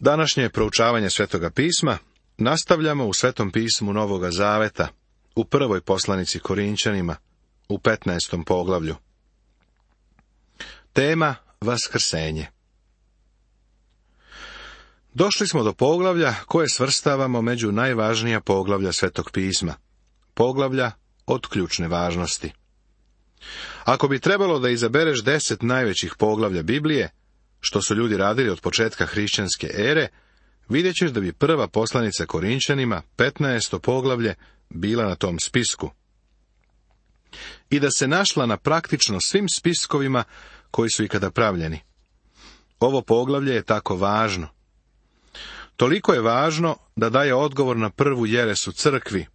Današnje proučavanje Svetoga pisma nastavljamo u Svetom pismu Novoga Zaveta, u prvoj poslanici Korinčanima, u 15. poglavlju. Tema Vaskrsenje. Došli smo do poglavlja koje svrstavamo među najvažnija poglavlja Svetog pisma, poglavlja od ključne važnosti. Ako bi trebalo da izabereš 10 najvećih poglavlja Biblije, što su ljudi radili od početka hrišćanske ere, vidjet ćeš da bi prva poslanica Korinčanima, 15. poglavlje, bila na tom spisku. I da se našla na praktično svim spiskovima koji su ikada pravljeni. Ovo poglavlje je tako važno. Toliko je važno da daje odgovor na prvu jeresu crkvi,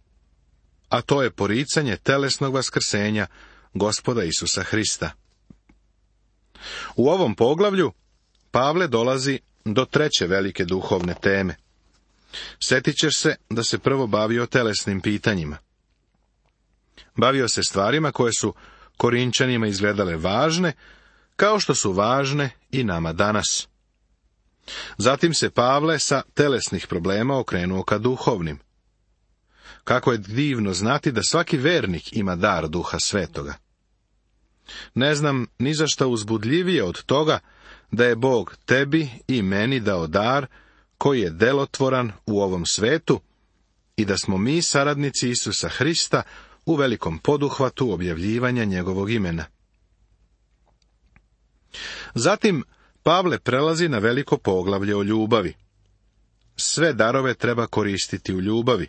a to je poricanje telesnog vaskrsenja Gospoda Isusa Hrista. U ovom poglavlju Pavle dolazi do treće velike duhovne teme. Sjetit ćeš se da se prvo bavio telesnim pitanjima. Bavio se stvarima koje su Korinčanima izgledale važne, kao što su važne i nama danas. Zatim se Pavle sa telesnih problema okrenuo ka duhovnim. Kako je divno znati da svaki vernik ima dar Duha Svetoga. Ne znam ni za šta uzbudljivije od toga da je Bog tebi i meni dao dar koji je delotvoran u ovom svetu i da smo mi saradnici Isusa Hrista u velikom poduhvatu objavljivanja njegovog imena. Zatim Pavle prelazi na veliko poglavlje o ljubavi. Sve darove treba koristiti u ljubavi,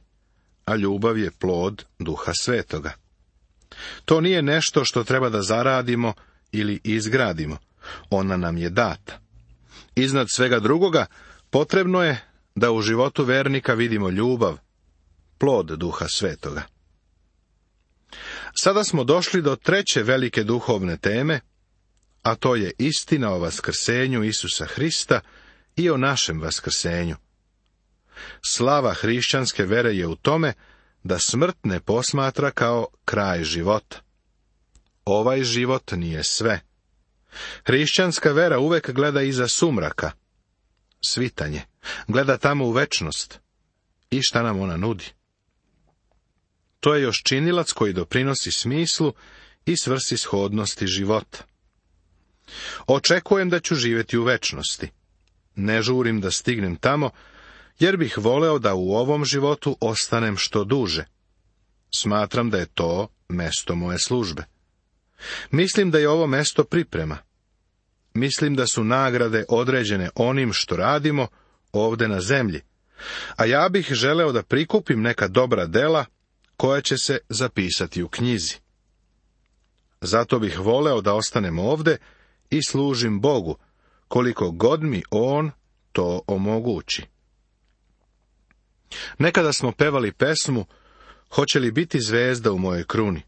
a ljubav je plod Duha Svetoga. To nije nešto što treba da zaradimo ili izgradimo. Ona nam je data. Iznad svega drugoga, potrebno je da u životu vernika vidimo ljubav, plod Duha Svetoga. Sada smo došli do treće velike duhovne teme, a to je istina o vaskrsenju Isusa Hrista i o našem vaskrsenju. Slava hrišćanske vere je u tome da smrt ne posmatra kao kraj života. Ovaj život nije sve. Hrišćanska vera uvek gleda iza sumraka, svitanje, gleda tamo u večnost. I šta nam ona nudi? To je još činilac koji doprinosi smislu i svrsishodnosti života. Očekujem da ću živjeti u večnosti. Ne žurim da stignem tamo, jer bih voleo da u ovom životu ostanem što duže. Smatram da je to mesto moje službe. Mislim da je ovo mesto priprema. Mislim da su nagrade određene onim što radimo ovde na zemlji, a ja bih želeo da prikupim neka dobra dela koja će se zapisati u knjizi. Zato bih voleo da ostanem ovde i služim Bogu, koliko god mi On to omogući. Nekada smo pevali pesmu Hoće li biti zvezda u mojoj kruni?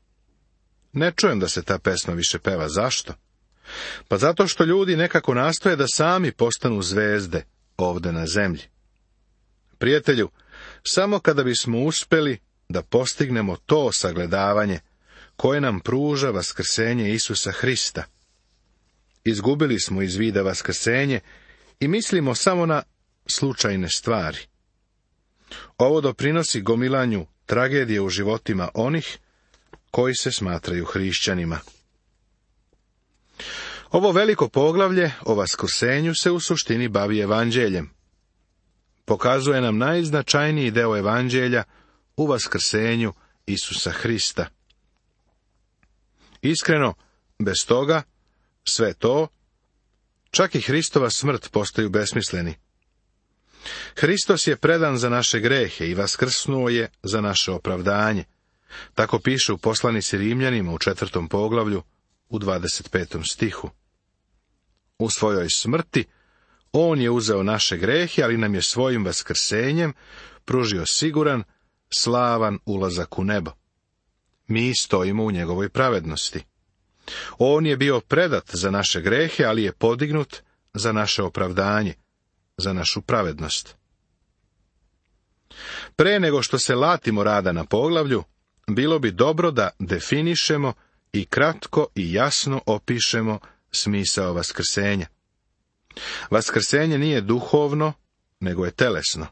Ne čujem da se ta pesma više peva. Zašto? Pa zato što ljudi nekako nastoje da sami postanu zvezde ovde na zemlji. Prijatelju, samo kada bismo uspeli da postignemo to sagledavanje koje nam pruža vaskrsenje Isusa Hrista. Izgubili smo iz vida vaskrsenje i mislimo samo na slučajne stvari. Ovo doprinosi gomilanju tragedije u životima onih koji se smatraju hrišćanima. Ovo veliko poglavlje o vaskrsenju se u suštini bavi evanđeljem. Pokazuje nam najznačajniji deo evanđelja u vaskrsenju Isusa Hrista. Iskreno, bez toga, sve to, čak i Hristova smrt postaju besmisleni. Hristos je predan za naše grehe i vaskrsnuo je za naše opravdanje. Tako piše u poslanici Rimljanima u 4. poglavlju u 25. stihu. U svojoj smrti On je uzeo naše grehe, ali nam je svojim vaskrsenjem pružio siguran, slavan ulazak u nebo. Mi stojimo u njegovoj pravednosti. On je bio predat za naše grehe, ali je podignut za naše opravdanje, za našu pravednost. Pre nego što se latimo rada na poglavlju, bilo bi dobro da definišemo i kratko i jasno opišemo smisao vaskrsenja. Vaskrsenje nije duhovno, nego je telesno.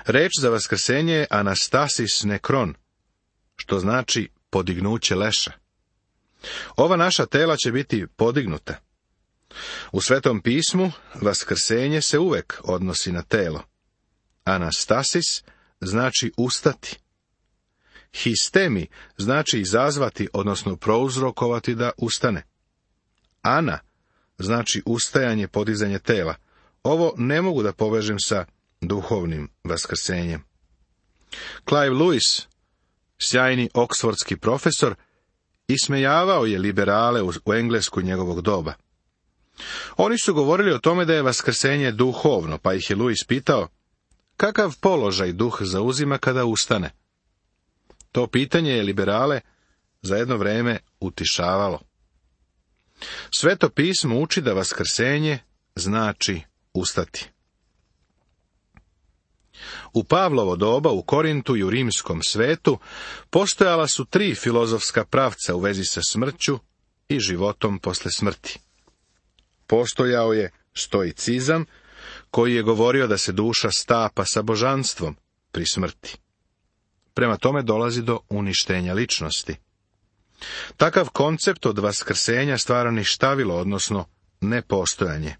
Reč za vaskrsenje je anastasis nekron, što znači podignuće leša. Ova naša tela će biti podignuta. U Svetom pismu vaskrsenje se uvek odnosi na telo. Anastasis znači ustati. Histemi znači izazvati, odnosno prouzrokovati da ustane. Ana znači ustajanje, podizanje tela. Ovo ne mogu da povežem sa duhovnim vaskrsenjem. Clive Lewis, sjajni oksfordski profesor, ismejavao je liberale u Englesku njegovog doba. Oni su govorili o tome da je vaskrsenje duhovno, pa ih je Lewis pitao, kakav položaj duh zauzima kada ustane? To pitanje je liberale za jedno vreme utišavalo. Sveto pismo uči da vaskrsenje znači ustati. U Pavlovo doba u Korintu i u rimskom svetu postojala su 3 filozofska pravca u vezi sa smrću i životom posle smrti. Postojao je stoicizam, koji je govorio da se duša stapa sa božanstvom pri smrti. Prema tome dolazi do uništenja ličnosti. Takav koncept od vaskrsenja stvara ništavilo, odnosno nepostojanje.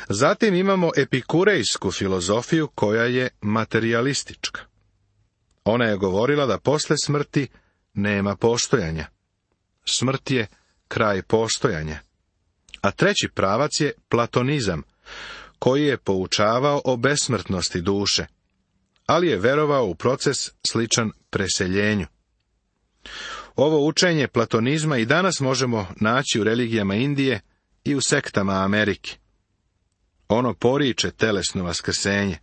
Zatim imamo epikurejsku filozofiju koja je materijalistička. Ona je govorila da posle smrti nema postojanja. Smrt je kraj postojanja. A treći pravac je platonizam, koji je poučavao o besmrtnosti duše, ali je verovao u proces sličan preseljenju. Ovo učenje platonizma i danas možemo naći u religijama Indije i u sektama Amerike. Ono poriče telesno vaskrsenje.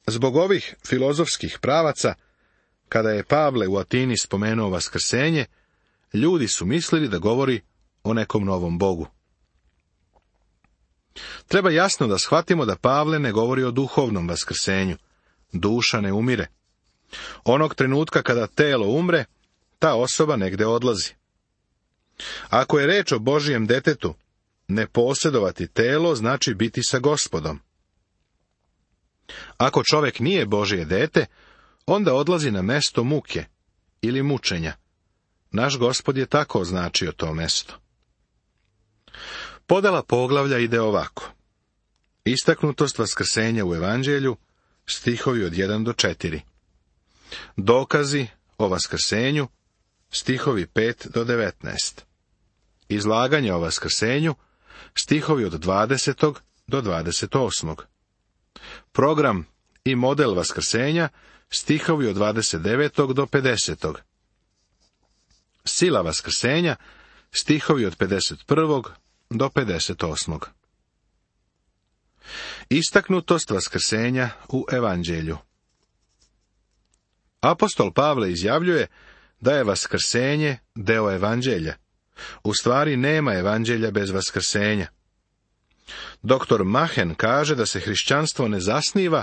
Zbog ovih filozofskih pravaca, kada je Pavle u Atini spomenuo vaskrsenje, ljudi su mislili da govori o nekom novom Bogu. Treba jasno da shvatimo da Pavle ne govori o duhovnom vaskrsenju. Duša ne umire. Onog trenutka kada telo umre, ta osoba negde odlazi. Ako je reč o Božijem detetu, ne posjedovati telo znači biti sa Gospodom. Ako čovjek nije Božje dete, onda odlazi na mesto muke ili mučenja. Naš Gospod je tako označio to mesto. Podela poglavlja ide ovako. Istaknutost vaskrsenja u Evanđelju, stihovi od 1 do 4. Dokazi o vaskrsenju, stihovi 5 do 19. Izlaganje o vaskrsenju, stihovi od 20. do 28. Program i model vaskrsenja, stihovi od 29. do 50. Sila vaskrsenja, stihovi od 51. do 58. Istaknutost vaskrsenja u Evanđelju. Apostol Pavle izjavljuje da je vaskrsenje deo Evanđelja. U stvari nema Evanđelja bez vaskrsenja. Dr. Machen kaže da se hrišćanstvo ne zasniva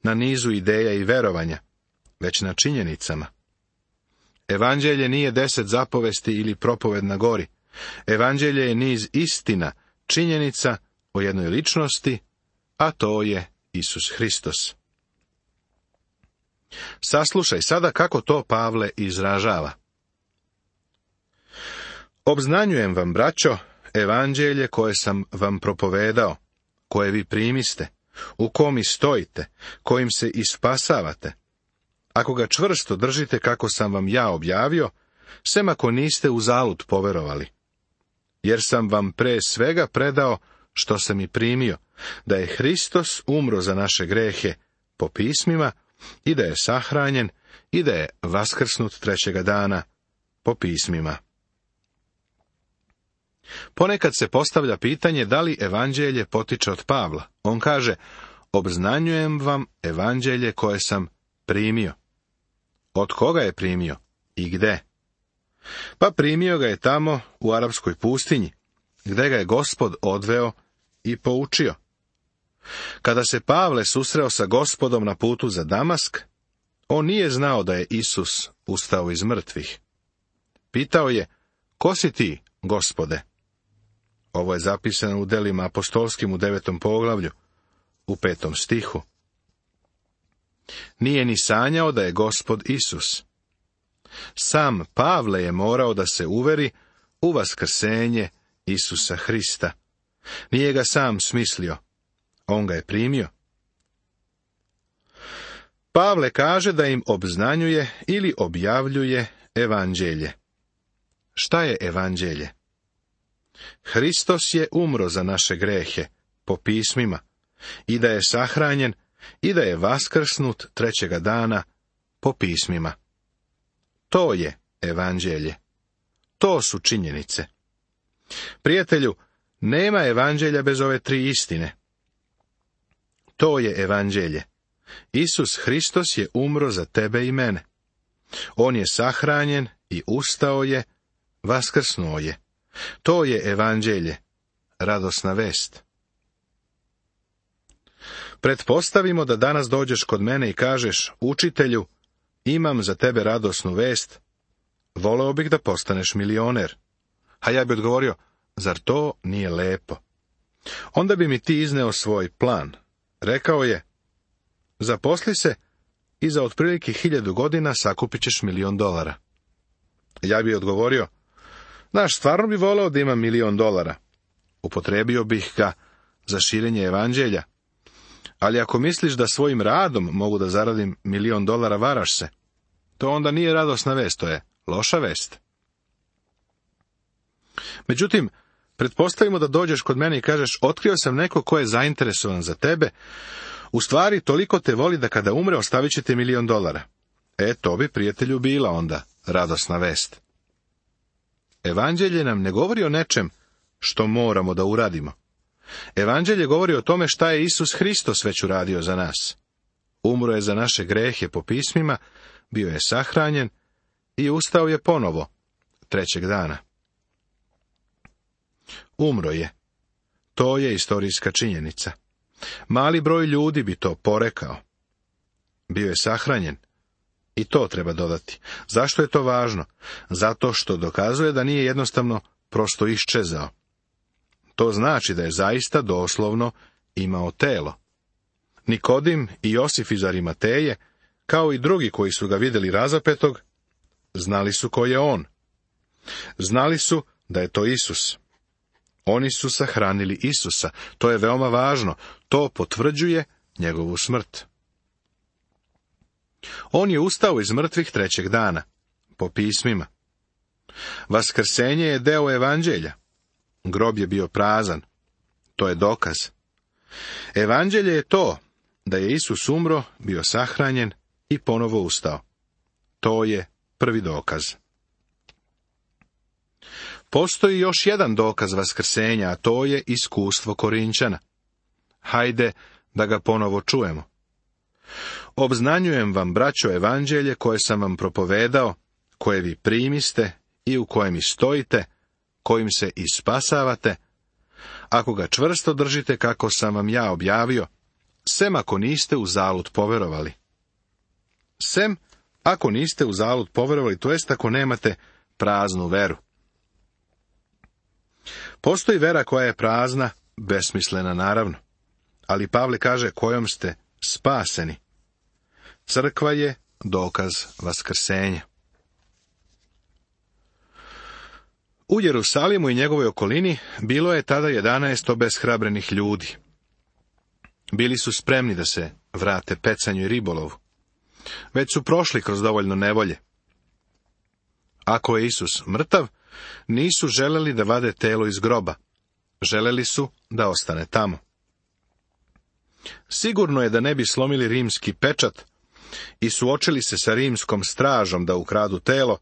na nizu ideja i verovanja, već na činjenicama. Evanđelje nije 10 zapovesti ili propoved na gori. Evanđelje je niz istina, činjenica o jednoj ličnosti, a to je Isus Hristos. Saslušaj sada kako to Pavle izražava. Obznanjujem vam, braćo, Evanđelje koje sam vam propovedao, koje vi primiste, u kom i stojite, kojim se i spasavate. Ako ga čvrsto držite kako sam vam ja objavio, sem ako niste uzalud poverovali. Jer sam vam pre svega predao što sam i primio, da je Hristos umro za naše grehe po pismima i da je sahranjen i da je vaskrsnut 3. dana po pismima. Ponekad se postavlja pitanje da li Evanđelje potiče od Pavla. On kaže, obznanjujem vam Evanđelje koje sam primio. Od koga je primio i gde? Pa primio ga je tamo u arapskoj pustinji, gde ga je Gospod odveo i poučio. Kada se Pavle susreo sa Gospodom na putu za Damask, on nije znao da je Isus ustao iz mrtvih. Pitao je, ko si ti, Gospode? Ovo je zapisano u Delima apostolskim u 9. poglavlju, u 5. stihu. Nije ni sanjao da je Gospod Isus. Sam Pavle je morao da se uveri u vaskrsenje Isusa Hrista. Nije ga sam smislio, on ga je primio. Pavle kaže da im obznanjuje ili objavljuje evanđelje. Šta je evanđelje? Hristos je umro za naše grehe, po pismima, i da je sahranjen, i da je vaskrsnut trećega dana, po pismima. To je evanđelje. To su činjenice. Prijatelju, nema evanđelja bez ove tri istine. To je evanđelje. Isus Hristos je umro za tebe i mene. On je sahranjen i ustao je, vaskrsnuo je. To je evanđelje, radosna vest. Pretpostavimo da danas dođeš kod mene i kažeš, učitelju, imam za tebe radosnu vest, voleo bih da postaneš milioner. A ja bi odgovorio, zar to nije lepo? Onda bi mi ti izneo svoj plan. Rekao je, zaposli se i za otprilike 1000 godina sakupit ćeš $1.000.000. Ja bi odgovorio, znaš, stvarno bi voleo da imam $1.000.000. Upotrebio bih ga za širenje evanđelja. Ali ako misliš da svojim radom mogu da zaradim $1.000.000, varaš se. To onda nije radosna vest, to je loša vest. Međutim, pretpostavimo da dođeš kod mene i kažeš, otkrio sam neko ko je zainteresovan za tebe, u stvari toliko te voli da kada umre ostavit će ti $1.000.000. To bi, prijatelju, bila onda radosna vest. Evanđelje nam ne govori o nečem što moramo da uradimo. Evanđelje govori o tome šta je Isus Hristos već uradio za nas. Umro je za naše grehe po pismima, bio je sahranjen i ustao je ponovo trećeg dana. Umro je. To je istorijska činjenica. Mali broj ljudi bi to porekao. Bio je sahranjen. I to treba dodati. Zašto je to važno? Zato što dokazuje da nije jednostavno prosto iščezao. To znači da je zaista doslovno imao telo. Nikodim i Josif iz Arimateje, kao i drugi koji su ga vidjeli razapetog, znali su ko je on. Znali su da je to Isus. Oni su sahranili Isusa. To je veoma važno. To potvrđuje njegovu smrt. On je ustao iz mrtvih trećeg dana, po pismima. Vaskrsenje je deo evanđelja. Grob je bio prazan. To je dokaz. Evanđelje je to da je Isus umro, bio sahranjen i ponovo ustao. To je prvi dokaz. Postoji još jedan dokaz vaskrsenja, a to je iskustvo Korinčana. Hajde da ga ponovo čujemo. Obznanjujem vam, braćo, evanđelje koje sam vam propovedao, koje vi primiste i u kojem i stojite, kojim se i spasavate, ako ga čvrsto držite kako sam vam ja objavio, sem ako niste uzalud poverovali. Sem ako niste uzalud poverovali, to jest ako nemate praznu veru. Postoji vera koja je prazna, besmislena naravno, ali Pavle kaže kojom ste spaseni. Crkva je dokaz vaskrsenja. U Jerusalimu i njegovoj okolini bilo je tada 11 obeshrabrenih ljudi. Bili su spremni da se vrate pecanju i ribolovu. Već su prošli kroz dovoljno nevolje. Ako je Isus mrtav, nisu želeli da vade telo iz groba. Želeli su da ostane tamo. Sigurno je da ne bi slomili rimski pečat i suočili se sa rimskom stražom da ukradu telo,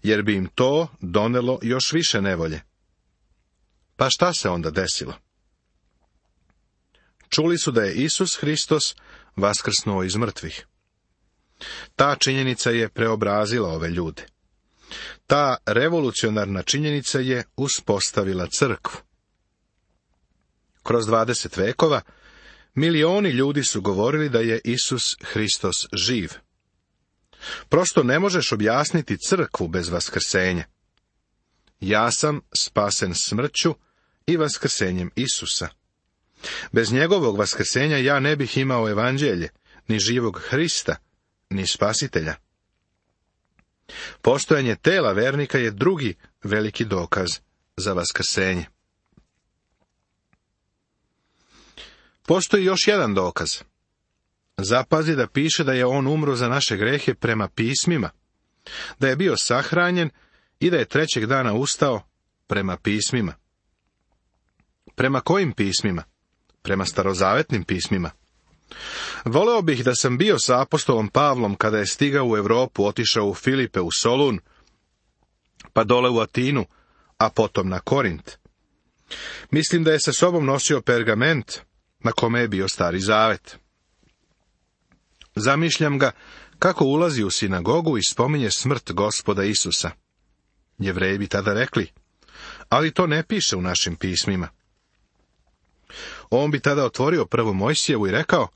jer bi im to donelo još više nevolje. Pa šta se onda desilo? Čuli su da je Isus Hristos vaskrsnuo iz mrtvih. Ta činjenica je preobrazila ove ljude. Ta revolucionarna činjenica je uspostavila crkvu. Kroz 20 vekova milioni ljudi su govorili da je Isus Hristos živ. Prosto ne možeš objasniti crkvu bez vaskrsenja. Ja sam spasen smrću i vaskrsenjem Isusa. Bez njegovog vaskrsenja ja ne bih imao evanđelje, ni živog Hrista, ni spasitelja. Postojanje tela vernika je drugi veliki dokaz za vaskrsenje. Postoji još jedan dokaz. Zapazi da piše da je on umro za naše grehe prema pismima, da je bio sahranjen i da je trećeg dana ustao prema pismima. Prema kojim pismima? Prema starozavetnim pismima. Voleo bih da sam bio sa apostolom Pavlom kada je stigao u Europu, otišao u Filipe, u Solun, pa dole u Atinu, a potom na Korint. Mislim da je sa sobom nosio pergament na kome je bio Stari Zavet. Zamišljam ga kako ulazi u sinagogu i spominje smrt Gospoda Isusa. Jevreji bi tada rekli, ali to ne piše u našim pismima. On bi tada otvorio prvu Mojsijevu i rekao,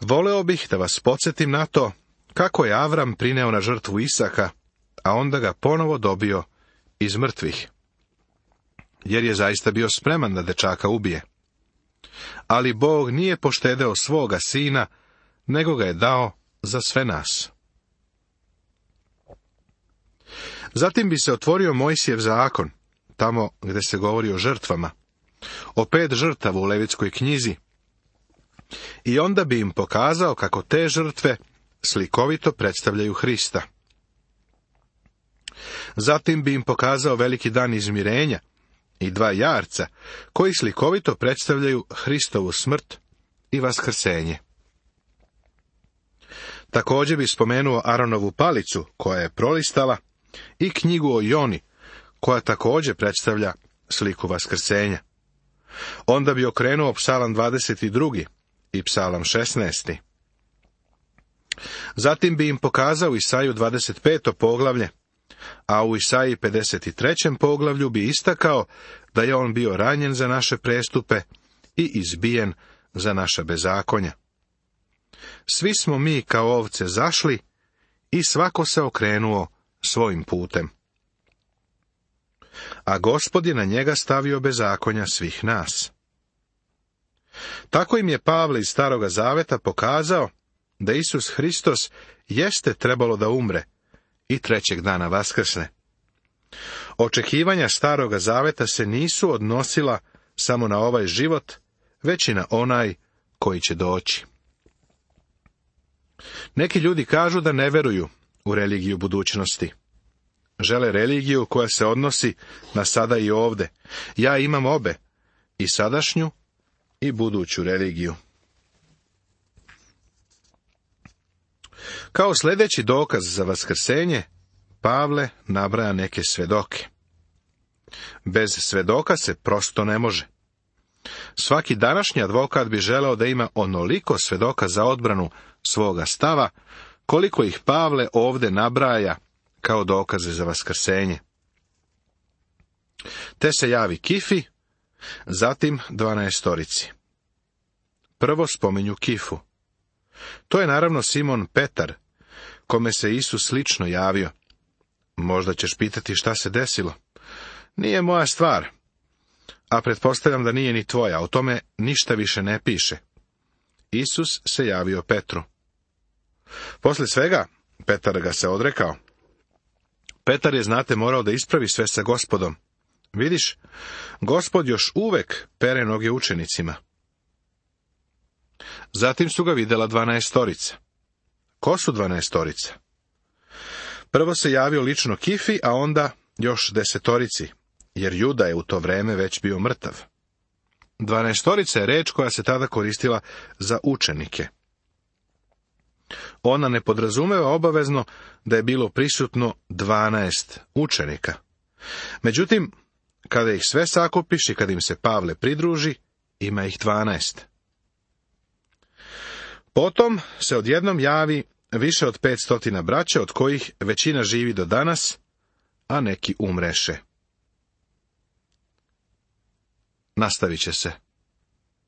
voleo bih da vas podsjetim na to kako je Avram prineo na žrtvu Isaka, a onda ga ponovo dobio iz mrtvih. Jer je zaista bio spreman da dečaka ubije. Ali Bog nije poštedeo svoga sina, nego ga je dao za sve nas. Zatim bi se otvorio Mojsijev zakon, tamo gde se govori o žrtvama, o 5 žrtava u Levitskoj knjizi, i onda bi im pokazao kako te žrtve slikovito predstavljaju Hrista. Zatim bi im pokazao veliki dan izmirenja i 2 jarca, koji slikovito predstavljaju Hristovu smrt i vaskrsenje. Također bi spomenuo Aronovu palicu, koja je prolistala, i knjigu o Joni, koja također predstavlja sliku vaskrsenja. Onda bi okrenuo Psalam 22. i Psalam 16. Zatim bi im pokazao Isaju 25. poglavlje, a u Isaiji 53. poglavlju bi istakao da je on bio ranjen za naše prestupe i izbijen za naša bezakonja. Svi smo mi kao ovce zašli i svako se okrenuo svojim putem. A Gospod je na njega stavio bezakonja svih nas. Tako im je Pavle iz Staroga Zaveta pokazao da Isus Hristos jeste trebalo da umre i trećeg dana vaskrsne. Očekivanja Staroga Zaveta se nisu odnosila samo na ovaj život, već i na onaj koji će doći. Neki ljudi kažu da ne veruju u religiju budućnosti. Žele religiju koja se odnosi na sada i ovde. Ja imam obe, i sadašnju i buduću religiju. Kao sljedeći dokaz za vaskrsenje, Pavle nabraja neke svedoke. Bez svedoka se prosto ne može. Svaki današnji advokat bi želeo da ima onoliko svedoka za odbranu svoga stava, koliko ih Pavle ovde nabraja kao dokaze za vaskrsenje. Te se javi Kifi, zatim 12. Prvo spominju Kifu. To je naravno Simon Petar, kome se Isus slično javio. Možda ćeš pitati šta se desilo. Nije moja stvar, a pretpostavljam da nije ni tvoja, o tome ništa više ne piše. Isus se javio Petru. Posle svega, Petar ga se odrekao. Petar je, znate, morao da ispravi sve sa Gospodom. Vidiš, Gospod još uvek pere noge učenicima. Zatim su ga videla 12. Ko su 12? Prvo se javio lično Kifi, a onda još 10, jer Juda je u to vreme već bio mrtav. 12 je reč koja se tada koristila za učenike. Ona ne podrazumeva obavezno da je bilo prisutno 12 učenika. Međutim, kada ih sve sakupiš i kad im se Pavle pridruži, ima ih 12. Potom se odjednom javi više od 500 braća, od kojih većina živi do danas, a neki umreše. Nastavit će se.